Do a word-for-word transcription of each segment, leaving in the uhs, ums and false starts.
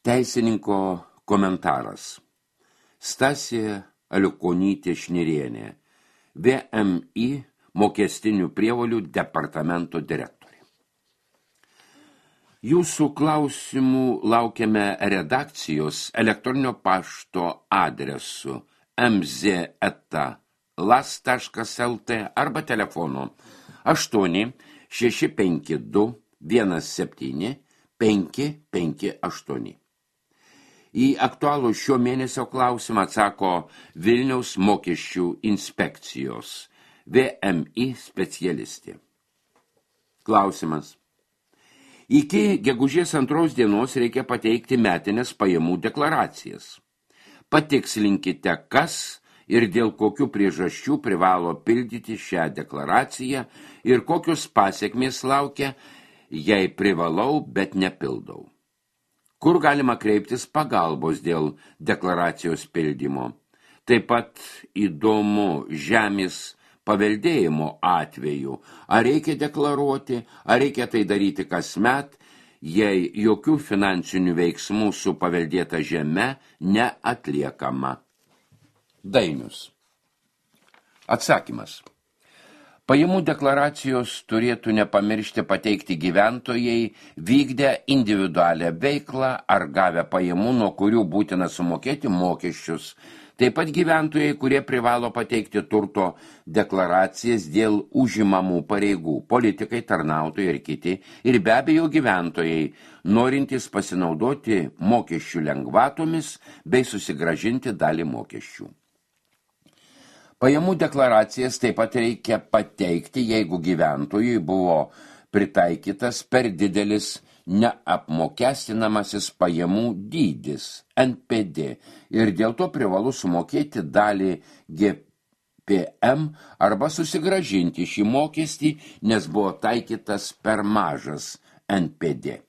Teisininko komentaras. Stasė Aliukonytė Šnirienė, V M I mokestinių prievolių departamento direktorė. Jūsų klausimų laukiame redakcijos elektroninio pašto adresu m z eta las taškas el t arba telefonu aštuoni šeši penki du vienas septyni penki penki aštuoni. Į aktualų šio mėnesio klausimą atsako Vilniaus mokesčių inspekcijos V M I specialistė. Klausimas. Iki gegužės antros dienos reikia pateikti metinės pajamų deklaracijas. Patikslinkite, kas ir dėl kokių priežasčių privalo pildyti šią deklaraciją ir kokios pasekmės laukia, jei privalau, bet nepildau. Kur galima kreiptis pagalbos dėl deklaracijos pildymo. Taip pat įdomu žemės paveldėjimo atveju, ar reikia deklaruoti, ar reikia tai daryti kasmet, jei jokių finansinių veiksmų su paveldėta žeme neatliekama. Dainius. Atsakymas. Pajamų deklaracijos turėtų nepamiršti pateikti gyventojai vykdę individualią veiklą ar gavę pajamų, nuo kurių būtina sumokėti mokesčius. Taip pat gyventojai, kurie privalo pateikti turto deklaracijas dėl užimamų pareigų, politikai, tarnautojai ir kiti, ir be abejo gyventojai, norintys pasinaudoti mokesčių lengvatomis bei susigrąžinti dalį mokesčių. Pajamų deklaracijas taip pat reikia pateikti, jeigu gyventojui buvo pritaikytas per didelis neapmokestinamasis pajamų dydis N P D ir dėl to privalu sumokėti dalį G P M arba susigrąžinti šį mokestį, nes buvo taikytas per mažas N P D.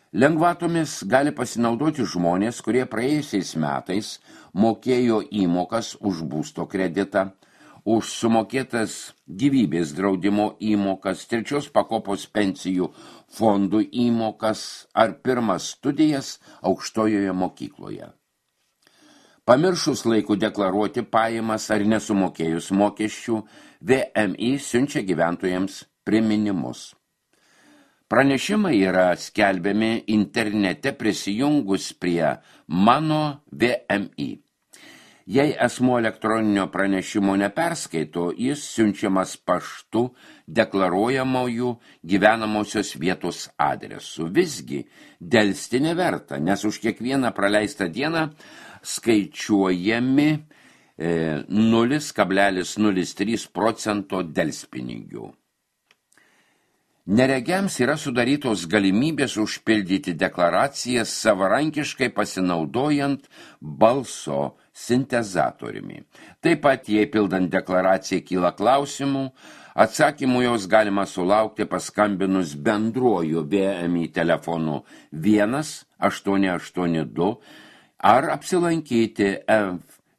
Lengvatomis gali pasinaudoti žmonės, kurie praėjusiais metais mokėjo įmokas už būsto kreditą, už sumokėtas gyvybės draudimo įmokas, trečios pakopos pensijų fondų įmokas ar pirmas studijas aukštojoje mokykloje. Pamiršus laiku deklaruoti pajamas ar nesumokėjus mokesčių, V M I siunčia gyventojams priminimus. Pranešimai yra skelbiami internete prisijungus prie Mano V M I. Jei asmuo elektroninio pranešimo neperskaito, jis siunčiamas paštu deklaruojamojų gyvenamosios vietos adresu. Visgi delsti neverta, nes už kiekvieną praleistą dieną skaičiuojami e, nulis kablelis nulis trys procento delspinigių. Neregiams yra sudarytos galimybės užpildyti deklaracijas savarankiškai pasinaudojant balso sintezatoriumi. Taip pat, jei pildant deklaraciją kyla klausimų, atsakymų jos galima sulaukti paskambinus bendruoju V M I telefonu vienas aštuoni aštuoni du ar apsilankyti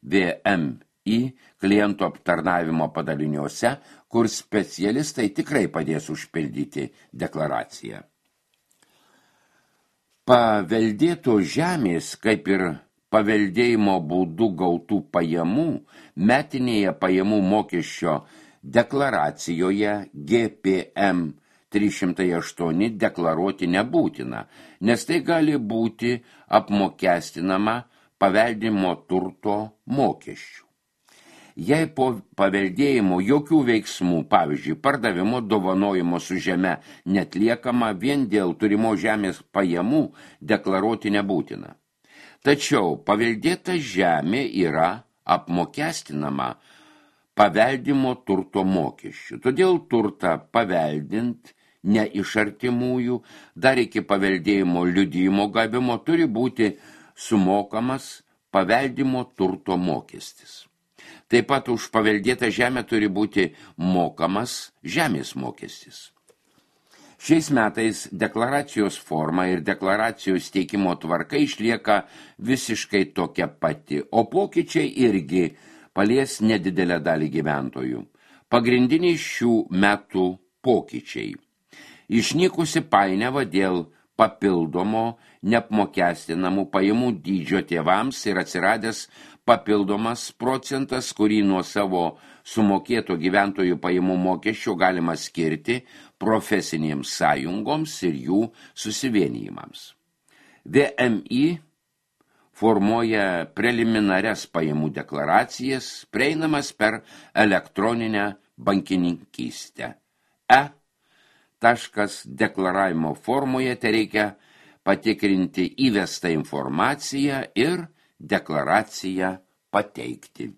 V M I klientų aptarnavimo padaliniuose, kur specialistai tikrai padės užpildyti deklaraciją. Paveldėto žemės, kaip ir paveldėjimo būdu gautų pajamų, metinėje pajamų mokesčio deklaracijoje G P M trys šimtai aštuoni deklaruoti nebūtina, nes tai gali būti apmokestinama paveldimo turto mokesčių. Jei po paveldėjimo jokių veiksmų, pavyzdžiui, pardavimo, dovanojimo su žeme netliekama, vien dėl turimo žemės pajamų deklaruoti nebūtina. Tačiau paveldėta žemė yra apmokestinama paveldimo turto mokesčių. Todėl turtą paveldint ne iš artimųjų, dar iki paveldėjimo liudijimo gavimo turi būti sumokamas paveldimo turto mokestis. Taip pat už paveldėtą žemę turi būti mokamas žemės mokestis. Šiais metais deklaracijos forma ir deklaracijos teikimo tvarka išlieka visiškai tokia pati, o pokyčiai irgi palies nedidelę dalį gyventojų. Pagrindiniai šių metų pokyčiai. Išnykusi painiava dėl papildomo neapmokestinamų pajamų dydžio tėvams ir atsiradęs papildomas procentas, kurį nuo savo sumokėto gyventojų pajamų mokesčio galima skirti profesinėms sąjungoms ir jų susivienijimams. V M I formuoja preliminarias pajamų deklaracijas, prieinamas per elektroninę bankininkystę. E. Taškas deklaravimo formoje tereikia patikrinti įvestą informaciją ir deklaraciją pateikti.